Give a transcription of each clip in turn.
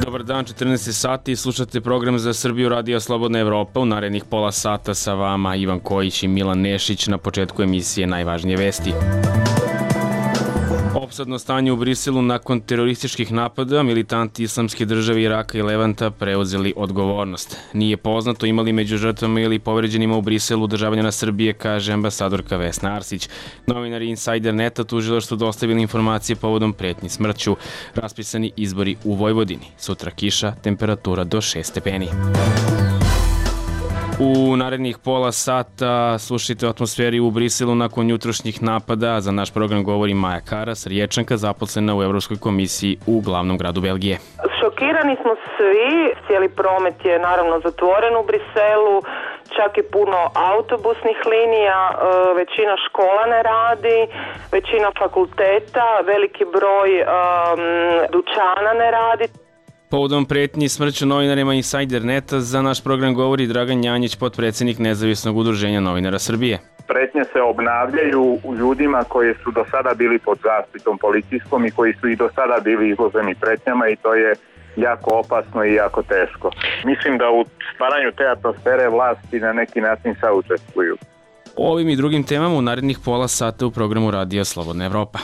Dobar dan, 14 sati, slušate program za Srbiju Radio Slobodna Evropa. U narednih pola sata sa vama Ivan Kojić i Milan Nešić. Na početku emisije najvažnije vesti. Opsadno stanje u Briselu nakon terorističkih napada, militanti Islamske države Iraka i Levanta preuzeli odgovornost. Nije poznato imali među žrtvama ili povređenima u Briselu državljana Srbije, kaže ambasadorka Vesna Arsić. Novinari Insider Neta tužilaštvu dostavili informacije povodom pretnji smrću. Raspisani izbori u Vojvodini. Sutra kiša, temperatura do 6 stepeni. U narednih pola sata slušajte o atmosferi u Briselu nakon jutrošnjih napada. Za naš program govori Maja Karas, Riječanka, zaposlena u Evropskoj komisiji u glavnom gradu Belgije. Šokirani smo svi, cijeli promet je naravno zatvoren u Briselu, čak i puno autobusnih linija, većina škola ne radi, većina fakulteta, veliki broj dućana ne radi. Povodom pretnji smrću novinarima Insider Neta za naš program govori Dragan Janjić, potpredsjednik Nezavisnog udruženja novinara Srbije. Pretnje se obnavljaju u ljudima koji su do sada bili pod zaštitom policijskom i koji su i do sada bili izloženi pretnjama i to je jako opasno i jako teško. Mislim da u stvaranju te atmosfere vlasti na neki način saučestvuju. O ovim i drugim temama u narednih pola sata u programu Radija Slobodna Evropa.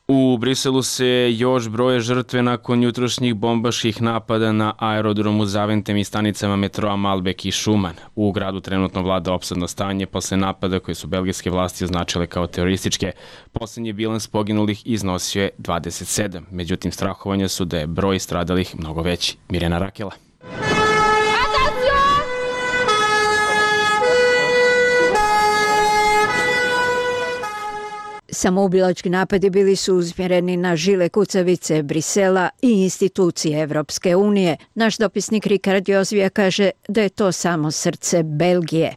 U Briselu se još broje žrtve nakon jutrošnjih bombaških napada na aerodromu Zaventem i stanicama metroa Malbek i Šuman. U gradu trenutno vlada opsadno stanje posle napada koje su belgijske vlasti označile kao terorističke. Poslednji bilans poginulih iznosio je 27. Međutim, strahovanja su da je broj stradalih mnogo veći. Mirjana Rakela. Samoubilački napadi bili su usmjereni na žile kucavice Brisela i institucije Evropske unije. Naš dopisnik Rikard Jozvija kaže da je to samo srce Belgije.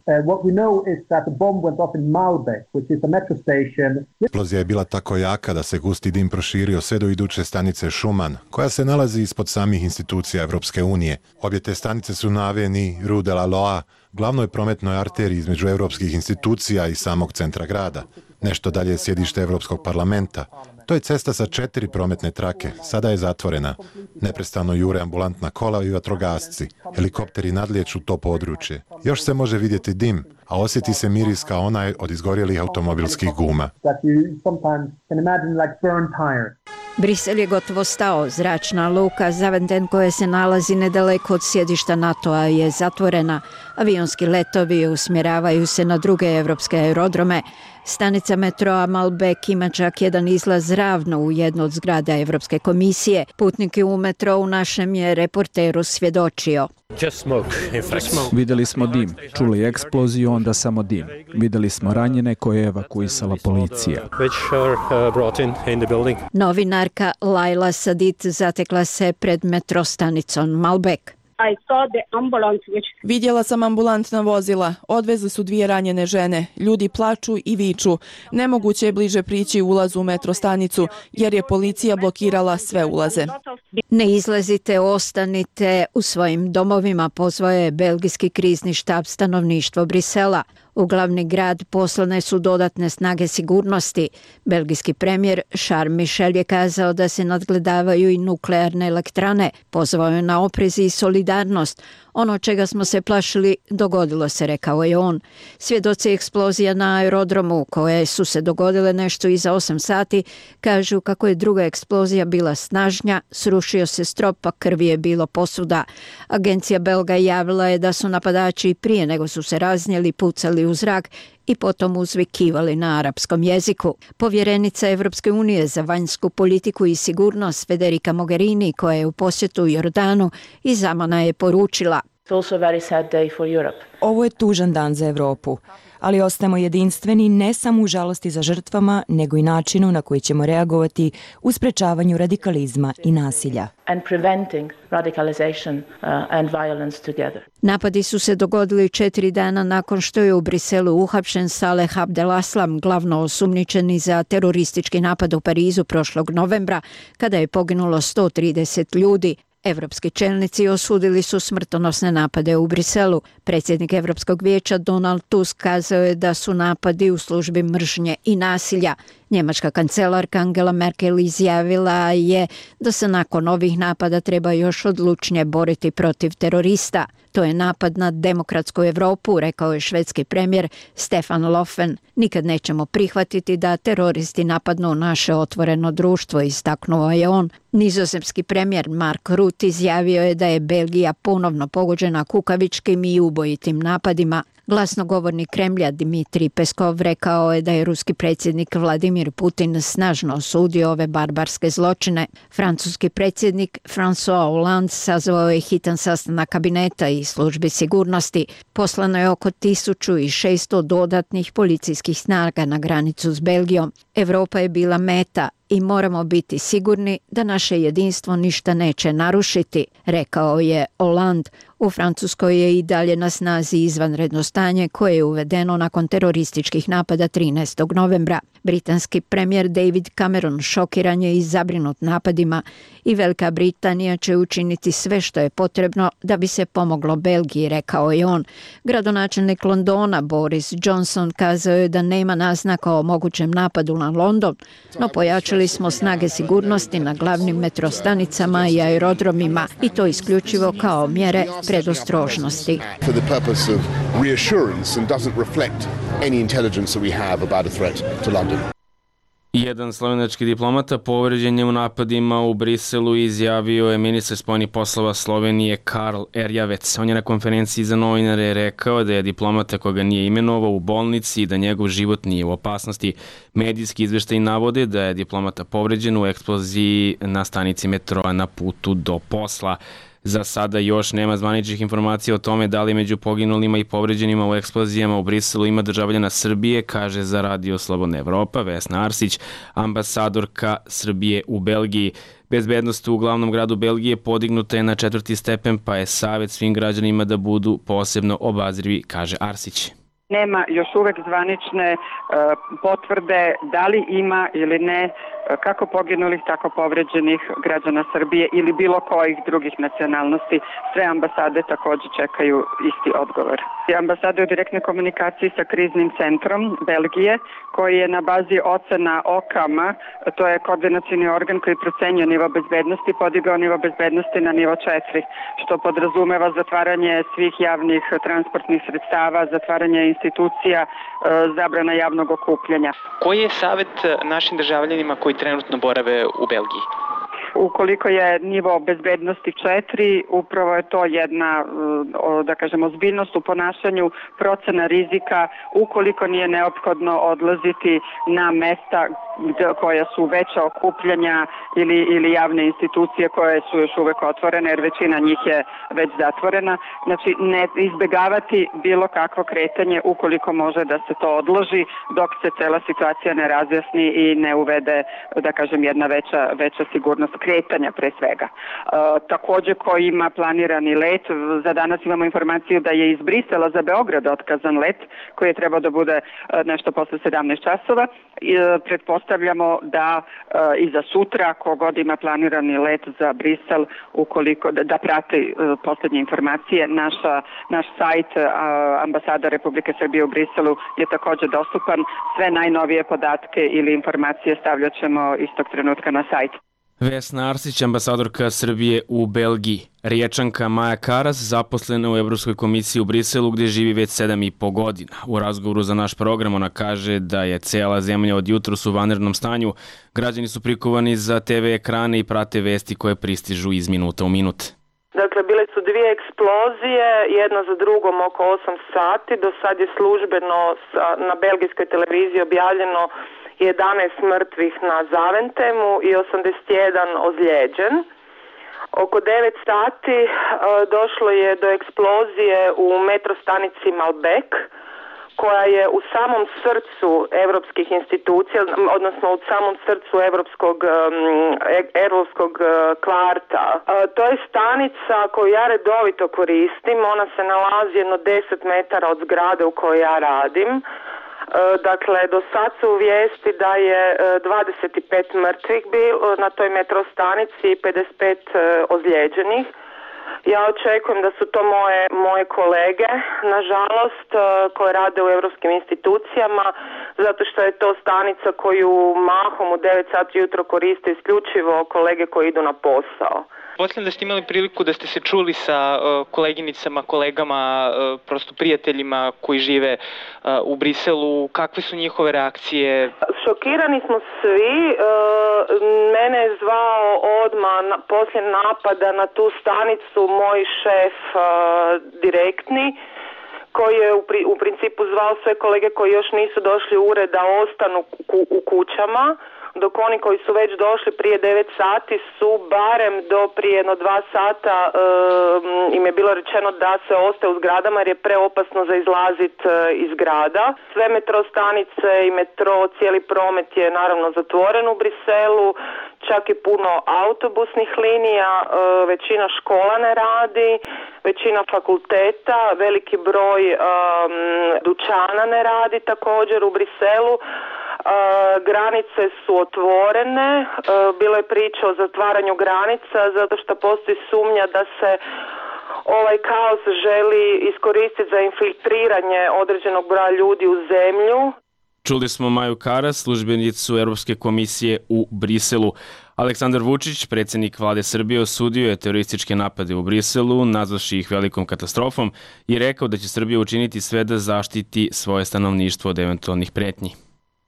Eksplozija je bila tako jaka da se gusti dim proširio sve do iduće stanice Šuman, koja se nalazi ispod samih institucija Evropske unije. Obje te stanice su na aveni Rue de la Loa, glavnoj prometnoj arteriji između evropskih institucija i samog centra grada. Nešto dalje je sjedište Evropskog parlamenta. To je cesta sa 4 prometne trake. Sada je zatvorena. Neprestano jure ambulantna kola i vatrogasci. Helikopteri nadlijeću to područje. Još se može vidjeti dim, a osjeti se miris kao onaj od izgorjelih automobilskih guma. Brisel je gotovo stao. Zračna luka Zaventem, koja se nalazi nedaleko od sjedišta NATO-a, je zatvorena. Avionski letovi usmjeravaju se na druge evropske aerodrome. Stanica metroa Malbek ima čak jedan izlaz ravno u jednu od zgrada Evropske komisije. Putnike u metrou našem je reporteru svjedočio. Vidjeli smo dim, čuli eksploziju, onda samo dim. Vidjeli smo ranjene koje je evakuisala policija. Novinarka Laila Sadit zatekla se pred metrostanicom Malbek. Vidjela sam ambulantna vozila. Odvezli su 2 ranjene žene. Ljudi plaču i viču. Nemoguće je bliže prići ulazu u metrostanicu jer je policija blokirala sve ulaze. Ne izlazite, ostanite u svojim domovima, pozvao je belgijski krizni štab stanovništvo Brisela. U glavni grad poslane su dodatne snage sigurnosti. Belgijski premijer Charles Michel je kazao da se nadgledavaju i nuklearne elektrane. Pozvao je na oprez i solidarnost. Ono čega smo se plašili dogodilo se, rekao je on. Svjedoci eksplozija na aerodromu, koje su se dogodile nešto iza 8 sati, kažu kako je druga eksplozija bila snažnja, srušio se strop, a krvi je bilo posuda. Agencija belga javila je da su napadači prije nego su se raznijeli pucali u zrak i potom uzvikivali na arapskom jeziku. Povjerenica Evropske unije za vanjsku politiku i sigurnost Federica Mogherini, koja je u posjetu Jordanu, iz Amana je poručila: Ovo je tužan dan za Evropu, ali ostajemo jedinstveni ne samo u žalosti za žrtvama, nego i načinu na koji ćemo reagovati u sprečavanju radikalizma i nasilja. Napadi su se dogodili 4 dana nakon što je u Briselu uhapšen Saleh Abdelaslam, glavno osumnjičeni za teroristički napad u Parizu prošlog novembra, kada je poginulo 130 ljudi. Evropski čelnici osudili su smrtonosne napade u Briselu. Predsjednik Evropskog vijeća Donald Tusk kazao je da su napadi u službi mržnje i nasilja. Njemačka kancelarka Angela Merkel izjavila je da se nakon ovih napada treba još odlučnije boriti protiv terorista. To je napad na demokratsku Evropu, rekao je švedski premijer Stefan Löfven. Nikad nećemo prihvatiti da teroristi napadnu naše otvoreno društvo, istaknuo je on. Nizozemski premijer Mark Rutte izjavio je da je Belgija ponovno pogođena kukavičkim i ubojitim napadima. Glasnogovornik Kremlja Dmitrij Peskov rekao je da je ruski predsjednik Vladimir Putin snažno osudio ove barbarske zločine. Francuski predsjednik François Hollande sazvao je hitan sastanak kabineta i službi sigurnosti. Poslano je oko 1600 dodatnih policijskih snaga na granicu s Belgijom. Evropa je bila meta i moramo biti sigurni da naše jedinstvo ništa neće narušiti, rekao je Hollande. U Francuskoj je i dalje na snazi izvanredno stanje koje je uvedeno nakon terorističkih napada 13. novembra. Britanski premijer David Cameron šokiran je i zabrinut napadima i Velika Britanija će učiniti sve što je potrebno da bi se pomoglo Belgiji, rekao je on. Gradonačelnik Londona Boris Johnson kazao je da nema naznaka o mogućem napadu na London, no pojačali smo snage sigurnosti na glavnim metrostanicama i aerodromima i to isključivo kao mjere predostrožnosti. Jedan slovenački diplomata povređen je u napadima u Briselu i izjavio je ministar spoljnih poslova Slovenije Karl Erjavec. On je na konferenciji za novinare rekao da je diplomata koga nije imenovao u bolnici i da njegov život nije u opasnosti. Medijski izveštaji navode da je diplomata povređen u eksploziji na stanici metroa na putu do posla. Za sada još nema zvaničnih informacija o tome da li među poginulima i povređenima u eksplozijama u Briselu ima državljana Srbije, kaže za Radio Slobodna Evropa Vesna Arsić, ambasadorka Srbije u Belgiji. Bezbednost u glavnom gradu Belgije podignuta je na 4. stepen, pa je savjet svim građanima da budu posebno obazrivi, kaže Arsić. Nema još uvek zvanične potvrde da li ima ili ne kako poginulih, tako povređenih građana Srbije ili bilo kojih drugih nacionalnosti. Sve ambasade također čekaju isti odgovor. Ambasada je u direktnoj komunikaciji sa kriznim centrom Belgije, koji je na bazi ocena OCAM-a, to je koordinacijni organ koji procenjuje nivo bezbednosti, podigao nivo bezbednosti na nivo 4, što podrazumeva zatvaranje svih javnih transportnih sredstava, zatvaranje institucija, zabrana javnog okupljanja. Koji je savjet našim državljanima koji trenutno borave u Belgiji? Ukoliko je nivo bezbednosti 4, upravo je to jedna, da kažemo, ozbiljnost u ponašanju, procena rizika, ukoliko nije neophodno odlaziti na mesta koja su veća okupljanja ili javne institucije koje su još uvek otvorene, jer većina njih je već zatvorena. Znači, ne izbegavati bilo kakvo kretanje ukoliko može da se to odloži dok se cela situacija ne razjasni i ne uvede, da kažem, jedna veća sigurnost kretanja pre svega. Također ko ima planirani let, za danas imamo informaciju da je iz Brisela za Beograd otkazan let koji je trebao da bude nešto posle 17 časova. Pretpostavljamo da i za sutra kogod ima planirani let za Brisel, ukoliko da prati posljednje informacije, naš sajt ambasada Republike Srbije u Briselu je također dostupan. Sve najnovije podatke ili informacije stavljat ćemo istog trenutka na sajt. Vesna Arsić, ambasadorka Srbije u Belgiji. Riječanka Maja Karas zaposlena u Evropskoj komisiji u Briselu gdje živi već 7,5 godina. U razgovoru za naš program ona kaže da je cijela zemlja od jutros u vanrednom stanju. Građani su prikovani za TV ekrane i prate vesti koje pristižu iz minuta u minut. Dakle, bile su 2 eksplozije, jedna za drugom oko 8 sati. Do sad je službeno na belgijskoj televiziji objavljeno 11 mrtvih na Zaventemu i 81 ozlijeđen. Oko 9 sati došlo je do eksplozije u metrostanici Malbec, koja je u samom srcu evropskih institucija, odnosno u samom srcu evropskog kvarta. To je stanica koju ja redovito koristim, ona se nalazi jedno 10 metara od zgrade u kojoj ja radim. Dakle, do sad su vijesti da je 25 mrtvih bilo na toj metro stanici i 55 ozlijeđenih. Ja očekujem da su to moje kolege, nažalost, koje rade u europskim institucijama, zato što je to stanica koju mahom u 9 sati jutro koriste isključivo kolege koji idu na posao. Pretpostavljam da ste imali priliku da ste se čuli sa koleginicama, kolegama, prosto prijateljima koji žive u Briselu. Kakve su njihove reakcije? Šokirani smo svi. Mene je zvao odmah poslije napada na tu stanicu moj šef direktni, koji je u principu zvao sve kolege koji još nisu došli u ured da ostanu u kućama, dok oni koji su već došli prije 9 sati su barem do prije jedno 2 sata im je bilo rečeno da se ostaje u zgradama jer je preopasno za izlazit iz grada. Sve metro stanice i metro, cijeli promet je naravno zatvoren u Briselu, čak i puno autobusnih linija, većina škola ne radi, većina fakulteta, veliki broj dućana ne radi također u Briselu. Granice su otvorene, bilo je priča o zatvaranju granica zato što postoji sumnja da se ovaj kaos želi iskoristiti za infiltriranje određenog broja ljudi u zemlju. Čuli smo Maju Karas, službenicu Europske komisije u Briselu. Aleksandar Vučić, predsjednik vlade Srbije, osudio je terorističke napade u Briselu, nazvavši ih velikom katastrofom i rekao da će Srbija učiniti sve da zaštiti svoje stanovništvo od eventualnih pretnji.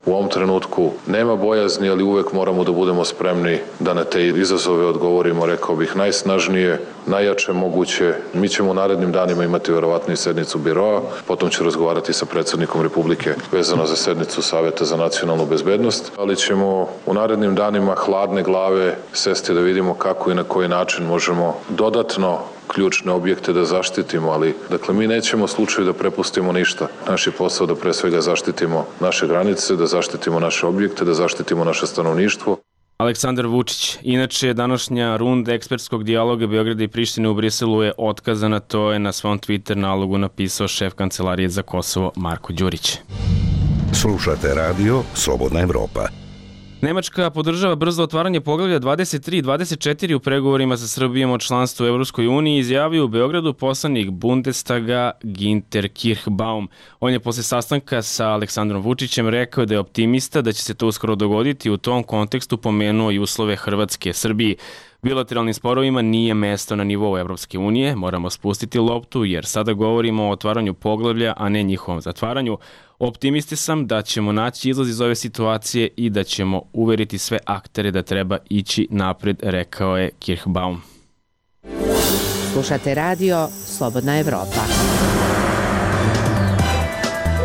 U ovom trenutku nema bojazni, ali uvek moramo da budemo spremni da na te izazove odgovorimo, rekao bih, najsnažnije, najjače moguće. Mi ćemo u narednim danima imati verovatno i sednicu biroa, potom ću razgovarati sa predsjednikom Republike vezano za sednicu Saveta za nacionalnu bezbednost, ali ćemo u narednim danima hladne glave sesti da vidimo kako i na koji način možemo dodatno ključne objekte da zaštitimo, ali dakle mi nećemo u slučaju da prepustimo ništa. Naš je posao da pre svega zaštitimo naše granice, da zaštitimo naše objekte, da zaštitimo naše stanovništvo. Aleksandar Vučić. Inače, današnja runda ekspertskog dijaloga Beograda i Prištine u Briselu je otkazana, to je na svom Twitter nalogu napisao šef Kancelarije za Kosovo Marko Đurić. Slušate radio Slobodna Evropa. Nemačka podržava brzo otvaranje poglavlja 23 i 24 u pregovorima sa Srbijom o članstvu u Evropskoj uniji, izjavio u Beogradu poslanik Bundestaga Ginter Kirchbaum. On je posle sastanka sa Aleksandrom Vučićem rekao da je optimista da će se to uskoro dogoditi, u tom kontekstu pomenuo i uslove Hrvatske Srbiji. Bilateralnim sporovima nije mesto na nivou Evropske unije, moramo spustiti loptu jer sada govorimo o otvaranju poglavlja, a ne njihovom zatvaranju. Optimisti sam da ćemo naći izlaz iz ove situacije i da ćemo uveriti sve aktere da treba ići napred, rekao je Kirchbaum. Slušate radio Slobodna Evropa.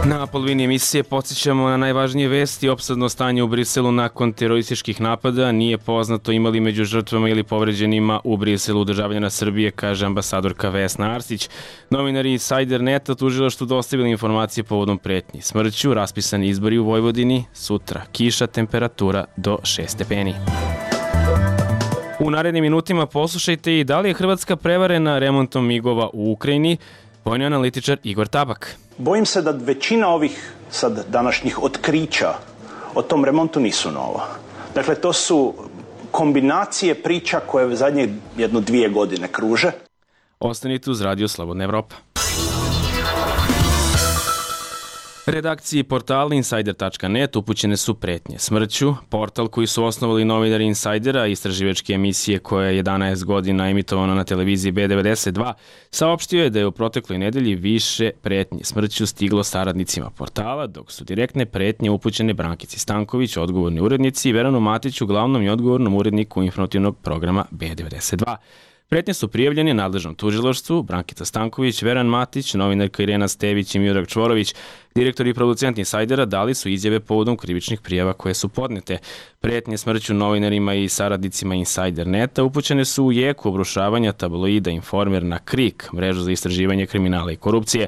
Na polovini emisije podsjećamo na najvažnije vesti. Opsadno stanje u Briselu nakon terorističkih napada. Nije poznato imali među žrtvama ili povređenima u Briselu državljana Srbije, kaže ambasadorka Vesna Arsić. Novinari Insider Neta tužilaštvu dostavili informacije povodom pretnji smrću, raspisani izbori u Vojvodini, sutra kiša, temperatura do 6 stepeni. U narednim minutima poslušajte i da li je Hrvatska prevarena remontom migova u Ukrajini. Vojni analitičar Igor Tabak. Bojim se da većina ovih sad današnjih otkrića o tom remontu nisu nova. Dakle, to su kombinacije priča koje zadnje 1-2 godine kruže. Ostanite uz radio Slobodna Evropa. Redakciji portala Insider.net upućene su pretnje smrću. Portal koji su osnovali novinari Insidera, istraživačke emisije koja je 11 godina emitovana na televiziji B92, saopštio je da je u protekloj nedelji više pretnje smrću stiglo saradnicima portala, dok su direktne pretnje upućene Brankici Stanković, odgovorni urednici, i Veranu Matiću, glavnom i odgovornom uredniku informativnog programa B92. Pretnje su prijavljene nadležnom tužilaštvu. Brankica Stanković, Veran Matić, novinarka Irena Stević i Miodrag Čvorović, direktor i producent Insajdera, dali su izjave povodom krivičnih prijava koje su podnete. Pretnje smrću novinarima i saradnicima Insider Neta upućene su u jeku obrušavanja tabloida Informer na KRIK, mrežu za istraživanje kriminala i korupcije.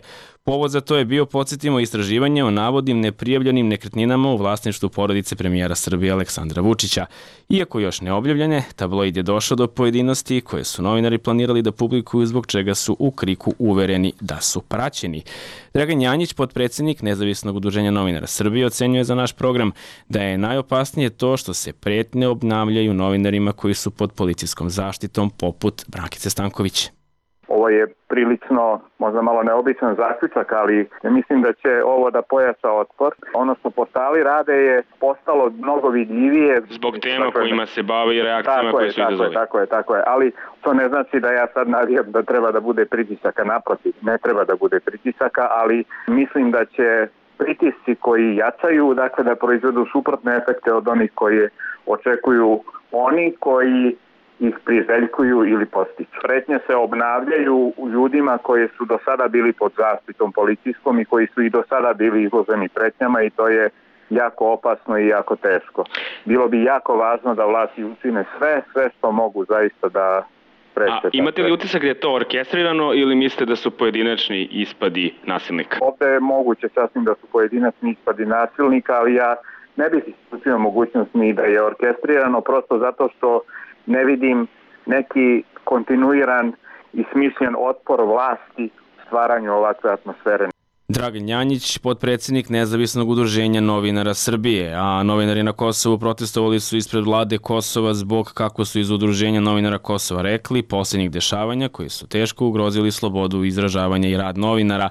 Povod za to je bio, podsjetimo, istraživanje o navodnim neprijavljenim nekretninama u vlasništvu porodice premijera Srbije Aleksandra Vučića. Iako još ne objavljene, tabloid je došao do pojedinosti koje su novinari planirali da publikuju, zbog čega su u Kriku uvereni da su praćeni. Dragan Janjić, potpredsjednik Nezavisnog udruženja novinara Srbije, ocenjuje za naš program da je najopasnije to što se pretnje obnavljaju novinarima koji su pod policijskom zaštitom, poput Brankice Stanković. Ovo je prilično, možda malo neobičan zaključak, ali mislim da će ovo da pojača otpor. Ono što portali rade je postalo mnogo vidljivije. Zbog tema kojima se bave i reakcijama koje su izazvali. Tako je. Ali to ne znači da ja sad navijam da treba da bude pritisaka, naprotiv. Ne treba da bude pritisaka, ali mislim da će pritisci koji jačaju, dakle da proizvedu suprotne efekte od onih koje očekuju oni koji ih priželjkuju ili postiču. Pretnje se obnavljaju u ljudima koji su do sada bili pod zaštitom policijskom i koji su i do sada bili izloženi pretnjama, i to je jako opasno i jako teško. Bilo bi jako važno da vlasti učine sve što mogu zaista da spreče. Imate li utisak da je to orkestrirano ili mislite da su pojedinačni ispadi nasilnika? Ovde je moguće sasvim da su pojedinačni ispadi nasilnika, ali ja ne bih isključio mogućnost ni da je orkestrirano, prosto zato što ne vidim neki kontinuiran i smišljen otpor vlasti stvaranju ovakve atmosfere. Dragan Janjić, potpredsjednik Nezavisnog udruženja novinara Srbije, a novinari na Kosovu protestovali su ispred vlade Kosova zbog, kako su iz Udruženja novinara Kosova rekli, posljednjih dešavanja koji su teško ugrozili slobodu izražavanja i rad novinara.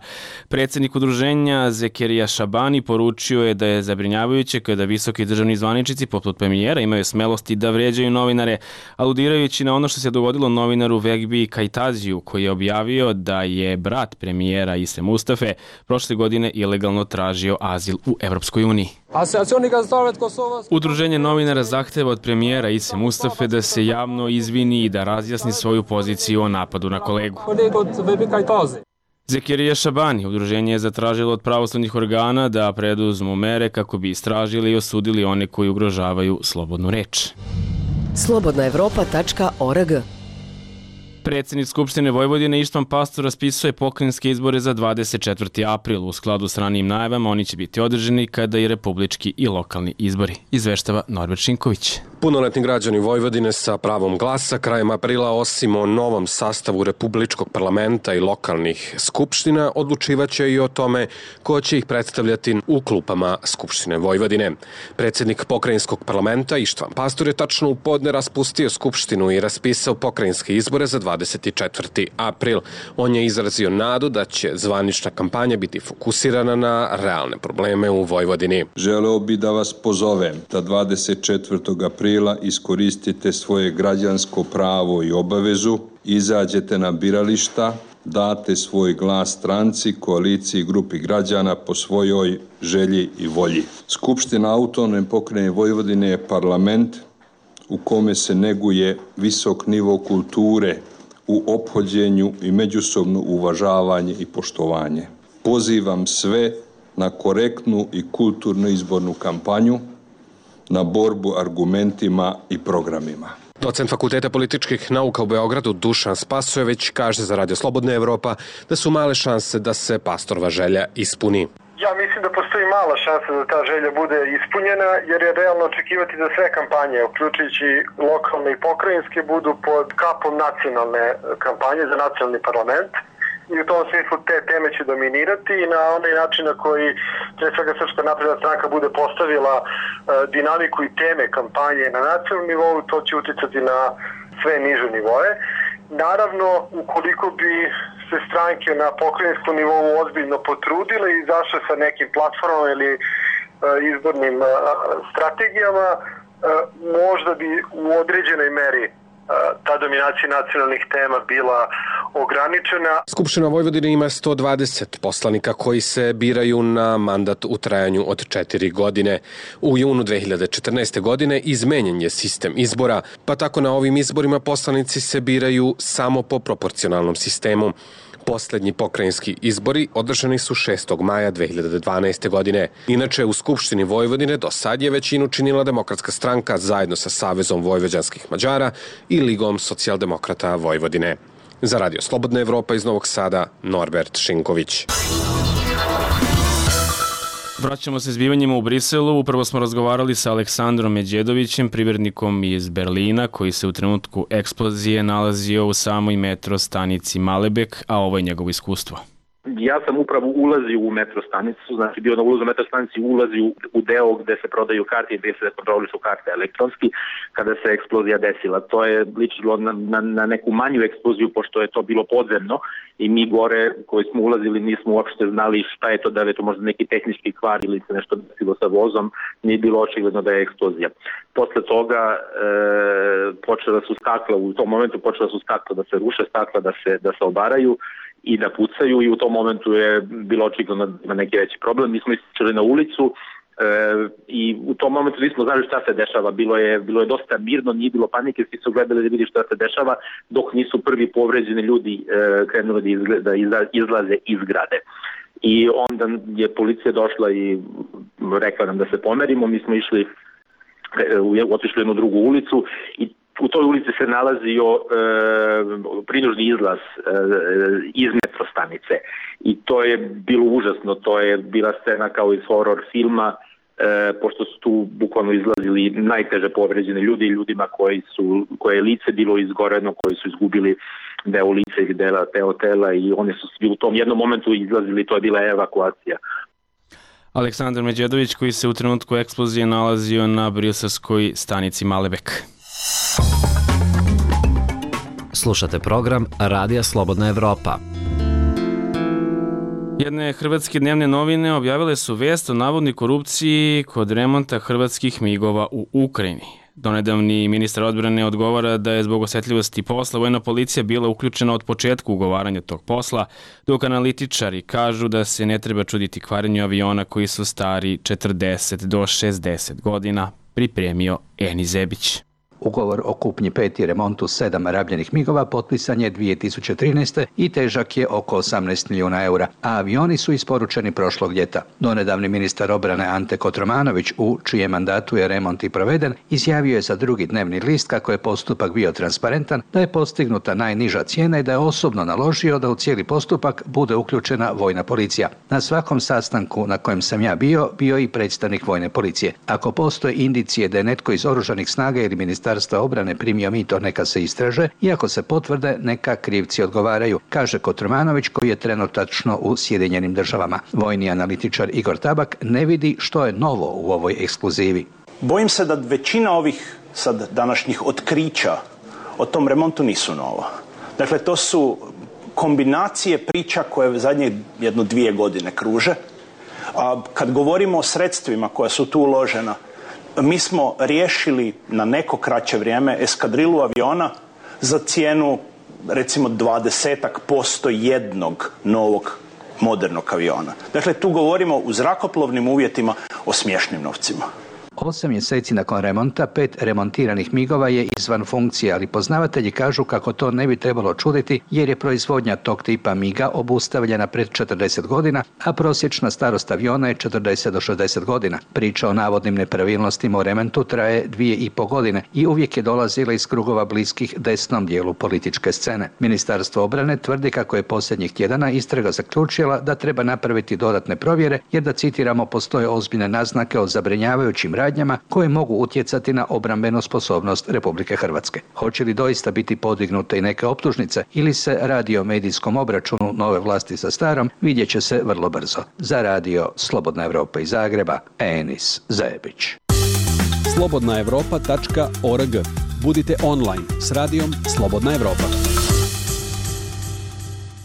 Predsjednik udruženja Zekerija Šabani poručio je da je zabrinjavajuće kada visoki državni zvaničnici poput premijera imaju smelosti da vređaju novinare, aludirajući na ono što se dogodilo novinaru Vegbi Kajtaziju, koji je objavio da je brat premijera Ise Mustafe prošle godine ilegalno tražio azil u Evropskoj uniji. Udruženje novinara zahteva od premijera Ise Mustafe da se javno izvini i da razjasni svoju poziciju o napadu na kolegu. Zekerija Šabani, udruženje je zatražilo od pravosudnih organa da preduzmu mere kako bi istražili i osudili one koji ugrožavaju slobodnu reč. Slobodnaevropa.org. Predsjednik Skupštine Vojvodine Ištvan Pastor raspisuje pokrajinske izbore za 24. april. U skladu s ranijim najavama oni će biti održani kada i republički i lokalni izbori, izveštava Norbert Šinković. Punoletni građani Vojvodine sa pravom glasa krajem aprila, osim o novom sastavu Republičkog parlamenta i lokalnih skupština, odlučivaće i o tome ko će ih predstavljati u klupama Skupštine Vojvodine. Predsjednik pokrajinskog parlamenta Ištvan Pastor je tačno u podne raspustio skupštinu i raspisao pokrajinske izbore za 24. april. On je izrazio nadu da će zvanična kampanja biti fokusirana na realne probleme u Vojvodini. Želeo bi da vas pozovem da 24. aprila iskoristite svoje građansko pravo i obavezu, izađete na birališta, date svoj glas stranci, koaliciji i grupi građana po svojoj želji i volji. Skupština Autonomne pokrajine Vojvodine je parlament u kome se neguje visok nivo kulture u ophođenju i međusobno uvažavanje i poštovanje. Pozivam sve na korektnu i kulturnu izbornu kampanju, na borbu argumentima i programima. Docent Fakulteta političkih nauka u Beogradu Dušan Spasojević kaže za Radio Slobodna Evropa da su male šanse da se Pastorova želja ispuni. Ja mislim da postoji mala šansa da ta želja bude ispunjena, jer je realno očekivati da sve kampanje, uključujući lokalne i pokrajinske, budu pod kapom nacionalne kampanje za nacionalni parlament. I u tom smislu te teme će dominirati i na onaj način na koji pre svega Srpska napredna stranka bude postavila dinamiku i teme kampanje na nacionalnom nivou, to će uticati na sve niže nivoe. Naravno, ukoliko bi se stranke na pokrajinskom nivou ozbiljno potrudile i izašle sa nekim platformama ili izbornim strategijama, možda bi u određenoj meri ta dominacija nacionalnih tema bila ograničena. Skupština Vojvodine ima 120 poslanika koji se biraju na mandat u trajanju od 4 godine. U junu 2014. godine izmenjen je sistem izbora, pa tako na ovim izborima poslanici se biraju samo po proporcionalnom sistemu. Poslednji pokrajinski izbori održani su 6. maja 2012. godine. Inače, u Skupštini Vojvodine do sad je većinu činila Demokratska stranka zajedno sa Savezom vojvođanskih Mađara i Ligom socijaldemokrata Vojvodine. Za Radio Slobodna Evropa iz Novog Sada, Norbert Šinković. Vraćamo se zbivanjima u Briselu. Upravo smo razgovarali sa Aleksandrom Međedovićem, privrednikom iz Berlina, koji se u trenutku eksplozije nalazio u samoj metro stanici Malebek, a ovo je njegovo iskustvo. Ja sam upravo ulazio u metro stanicu, znači bio na ulazu u metro stanici, ulazio u deo gde se prodaju karte i gde se kontrolišu karte elektronski, kada se eksplozija desila. To je ličilo na neku manju eksploziju, pošto je to bilo podzemno i mi gore koji smo ulazili nismo uopšte znali šta je to, da li je to možda neki tehnički kvar ili se nešto desilo sa vozom, nije bilo očigledno da je eksplozija. Posle toga počela su stakla, u tom momentu počela su stakla da se ruše, stakla da se obaraju i da pucaju i u tom momentu je bilo očigledno da ima neki veći problem. Mi smo izašli na ulicu i u tom momentu nismo znali šta se dešava. Bilo je dosta mirno, nije bilo panike, svi su gledali da vidi šta se dešava dok nisu prvi povređeni ljudi krenuli da izlaze iz zgrade. I onda je policija došla i rekla nam da se pomerimo. Mi smo otišli u jednu drugu ulicu i u toj ulici se nalazio prinužni izlaz iz metro stanice i to je bilo užasno, to je bila scena kao iz horror filma, pošto su tu bukvalno izlazili najteže povređeni ljudi, ljudima koje je lice bilo izgoreno, koji su izgubili deo lice ili deo tela i oni su svi u tom jednom momentu izlazili, to je bila evakuacija. Aleksandar Međedović, koji se u trenutku eksplozije nalazio na briselskoj stanici Malebek. Slušate program Radija Slobodna Evropa. Jedne hrvatske dnevne novine objavile su vest o navodnoj korupciji kod remonta hrvatskih migova u Ukrajini. Donedavni ministar odbrane odgovara da je zbog osetljivosti posla vojna policija bila uključena od početka ugovaranja tog posla, dok analitičari kažu da se ne treba čuditi kvarenju aviona koji su stari 40 do 60 godina, pripremio Eni Zebić. Ugovor o kupnji 5 i remontu 7 rabljenih migova potpisan je 2013. i težak je oko 18 milijuna eura, a avioni su isporučeni prošlog ljeta. Donedavni ministar obrane Ante Kotromanović, u čijem mandatu je remont i proveden, izjavio je za Drugi dnevni list kako je postupak bio transparentan, da je postignuta najniža cijena i da je osobno naložio da u cijeli postupak bude uključena vojna policija. Na svakom sastanku na kojem sam ja bio i predstavnik vojne policije. Ako postoje indicije da je netko iz oružanih snaga ili Ministarstva obrane primio mito, neka se istraže i ako se potvrde, neka krivci odgovaraju, kaže Kotromanović, koji je trenutačno u Sjedinjenim Državama. Vojni analitičar Igor Tabak ne vidi što je novo u ovoj ekskluzivi. Bojim se da većina ovih sad današnjih otkrića o tom remontu nisu nova. Dakle, to su kombinacije priča koje zadnje 1-2 godine kruže. A kad govorimo o sredstvima koja su tu uložena, mi smo riješili na neko kraće vrijeme eskadrilu aviona za cijenu recimo 20% jednog novog modernog aviona. Dakle, tu govorimo u zrakoplovnim uvjetima o smiješnim novcima. 8 mjeseci nakon remonta 5 remontiranih migova je izvan funkcije, ali poznavatelji kažu kako to ne bi trebalo čuditi jer je proizvodnja tog tipa miga obustavljena pred 40 godina, a prosječna starost aviona je 40 do 60 godina. Priča o navodnim nepravilnostima u remontu traje 2,5 godine i uvijek je dolazila iz krugova bliskih desnom dijelu političke scene. Ministarstvo obrane tvrdi kako je posljednjih tjedana istraga zaključila da treba napraviti dodatne provjere jer, da citiramo, postoje ozbiljne naznake o zabrinjavajućim radnjama koje mogu utjecati na obrambenu sposobnost Republike Hrvatske. Hoće li doista biti podignute i neke optužnice ili se radi o medijskom obračunu nove vlasti sa starom, vidjet će se vrlo brzo. Za Radio Slobodna Evropa iz Zagreba, Enis Zebić. slobodnaevropa.org. Budite online s radijom Slobodna Evropa.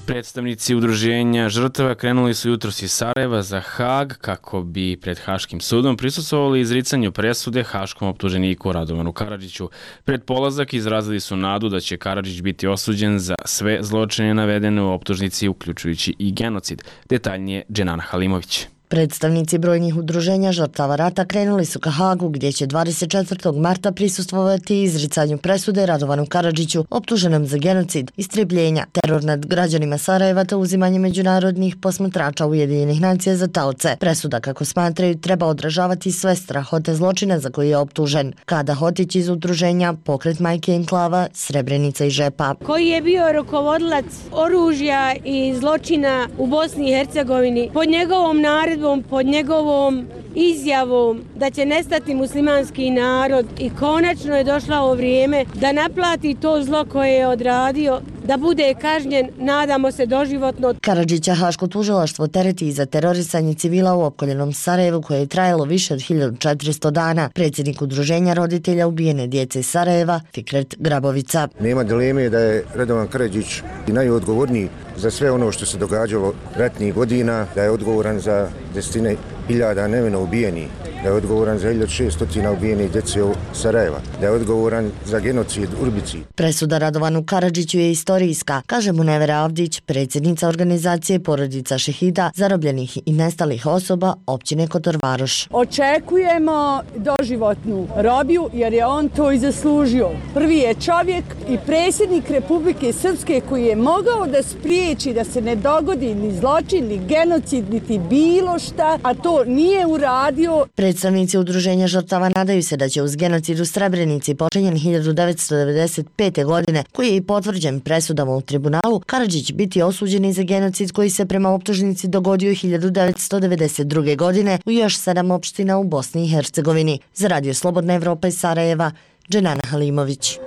Predstavnici udruženja žrtava krenuli su jutros iz Sarajeva za Hag kako bi pred Haškim sudom prisustvovali izricanju presude haškom optuženiku Radovanu Karadžiću. Pred polazak izrazili su nadu da će Karadžić biti osuđen za sve zločine navedene u optužnici, uključujući i genocid. Detaljnije Dženana Halimović. Predstavnici brojnih udruženja žrtava rata krenuli su ka Hagu, gdje će 24. marta prisustvovati izricanju presude Radovanu Karadžiću, optuženom za genocid, istrebljenja, teror nad građanima Sarajeva te uzimanje međunarodnih posmatrača Ujedinjenih nacija za taoce. Presuda, kako smatraju, treba odražavati sve strahote zločina za koje je optužen. Kada Hotić iz udruženja Pokret majke enklava Srebrenica i Žepa, koji je bio rukovodilac oružja i zločina u Bosni i Hercegovini, pod njegovom naredbom naredbom, pod njegovom izjavom da će nestati muslimanski narod i konačno je došlo ovo vrijeme da naplati to zlo koje je odradio, da bude kažnjen, nadamo se doživotno. Karadžića Haško tužilaštvo tereti i za terorisanje civila u opkoljenom Sarajevu koje je trajalo više od 1400 dana. Predsjednik udruženja roditelja ubijene djece iz Sarajeva, Fikret Grabovica. Nema dileme da je Radovan Karadžić najodgovorniji za sve ono što se događalo ratnih godina, da je odgovoran za desetine hiljada nevino ubijenih, da je odgovoran za 1600 ubijenih djece u Sarajeva, da je odgovoran za genocid Urbici. Presuda Radovanu Karadžiću je istorijska, kaže Munevera Avdić, predsjednica organizacije Porodica šehida, zarobljenih i nestalih osoba općine Kotor Varoš. Očekujemo doživotnu robiju jer je on to i zaslužio. Prvi je čovjek i predsjednik Republike Srpske koji je mogao da spriječi da se ne dogodi ni zločin, ni genocid, niti bilo šta, a to nije uradio. Predstavnici udruženja žrtava nadaju se da će uz genocid u Srebrenici počinjen 1995. godine, koji je i potvrđen presudama u tribunalu, Karadžić biti osuđeni za genocid koji se prema optužnici dogodio 1992. godine u još 7 opština u Bosni i Hercegovini. Za Radio Slobodna Evropa iz Sarajeva, Dženana Halimović.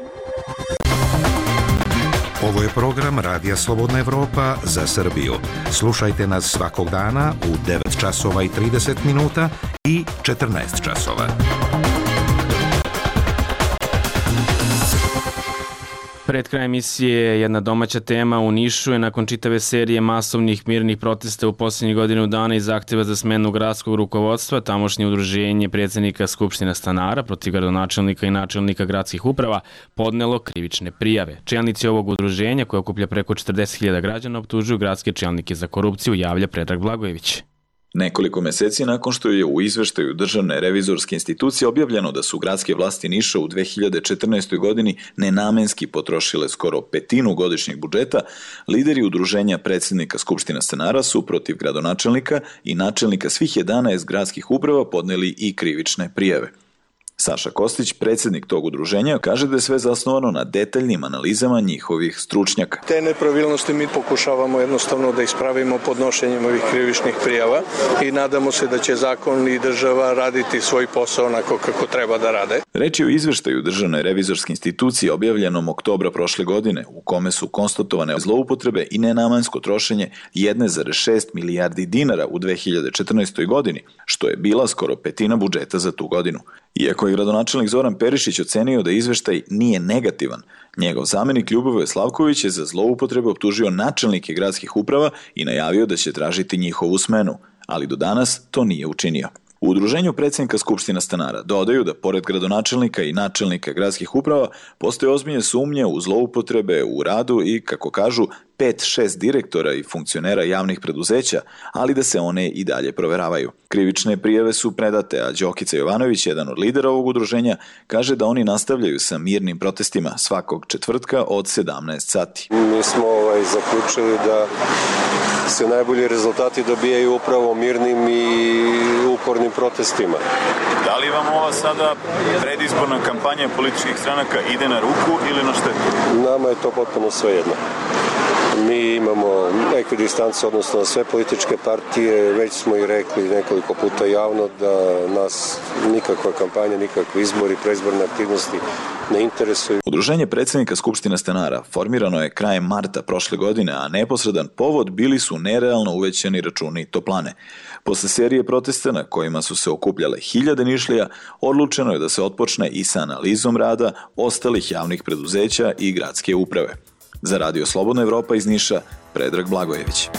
Ovo je program Radija Slobodna Evropa za Srbiju. Slušajte nas svakog dana u 9 časova i 30 minuta i 14 časova. Pred krajem emisije jedna domaća tema. U Nišu je nakon čitave serije masovnih mirnih protesta u posljednjih godinu dana i zahtjeva za smenu gradskog rukovodstva, tamošnje udruženje predsjednika Skupština stanara protiv gradonačelnika i načelnika gradskih uprava podnelo krivične prijave. Čelnici ovog udruženja, koje okuplja preko 40.000 građana, optužuju gradske čelnike za korupciju, javlja Predrag Blagojević. Nekoliko meseci nakon što je u izveštaju Državne revizorske institucije objavljeno da su gradske vlasti Niša u 2014. godini nenamenski potrošile skoro petinu godišnjeg budžeta, lideri udruženja predsjednika Skupština stanara su protiv gradonačelnika i načelnika svih 11 gradskih uprava podneli i krivične prijave. Saša Kostić, predsjednik tog udruženja, kaže da je sve zasnovano na detaljnim analizama njihovih stručnjaka. Te nepravilnosti mi pokušavamo jednostavno da ispravimo podnošenjem ovih krivičnih prijava i nadamo se da će zakon i država raditi svoj posao onako kako treba da rade. Reč je o izveštaju Državne revizorske institucije objavljenom oktobra prošle godine, u kome su konstatovane zloupotrebe i nenamensko trošenje 1,6 milijardi dinara u 2014. godini, što je bila skoro petina budžeta za tu godinu. Iako je gradonačelnik Zoran Perišić ocenio da izveštaj nije negativan, njegov zamenik Ljubovoje Slavković je za zloupotrebe optužio načelnike gradskih uprava i najavio da će tražiti njihovu smenu, ali do danas to nije učinio. U udruženju predsjednika Skupština stanara dodaju da pored gradonačelnika i načelnika gradskih uprava postoje ozbiljne sumnje u zloupotrebe u radu i, kako kažu, 5-6 direktora i funkcionera javnih preduzeća, ali da se one i dalje proveravaju. Krivične prijave su predate, a Đokica Jovanović, jedan od lidera ovog udruženja, kaže da oni nastavljaju sa mirnim protestima svakog četvrtka od 17 sati. Mi smo zaključili da se najbolji rezultati dobijaju upravo mirnim i upornim protestima. Da li vam ova sada predizborna kampanja političkih stranaka ide na ruku ili na štetu? Nama je to potpuno svejedno. Mi imamo ekvidistancu, odnosno na sve političke partije, već smo i rekli nekoliko puta javno da nas nikakva kampanja, nikakvi izbori, preizborne aktivnosti ne interesuju. Udruženje predsjednika Skupština stanara formirano je krajem marta prošle godine, a neposredan povod bili su nerealno uvećani računi toplane. Posle serije protesta na kojima su se okupljale hiljade Nišlija, odlučeno je da se otpočne i sa analizom rada ostalih javnih preduzeća i gradske uprave. Za Radio Slobodna Evropa iz Niša, Predrag Blagojević.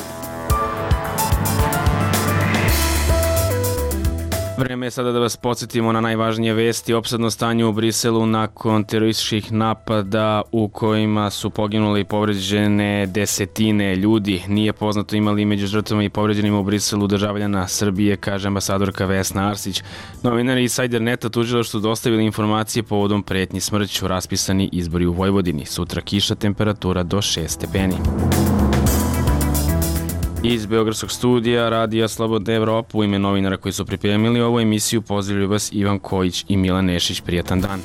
Vreme je sada da vas podsjetimo na najvažnije vesti. Opsadno stanje u Briselu nakon terorističkih napada u kojima su poginule i povređene desetine ljudi. Nije poznato imali među žrtvama i povređenima u Briselu državljana Srbije, kaže ambasadorka Vesna Arsić. Novinari iz Sajder.neta tužilaštvu dostavili informacije povodom pretnji smrću, raspisani izbori u Vojvodini. Sutra kiša, temperatura do 6 stepeni. Iz Beogradskog studija Radija Slobodna Evropa u ime novinara koji su pripremili ovu emisiju pozdravljaju vas Ivan Kojić i Milan Nešić. Prijatan dan.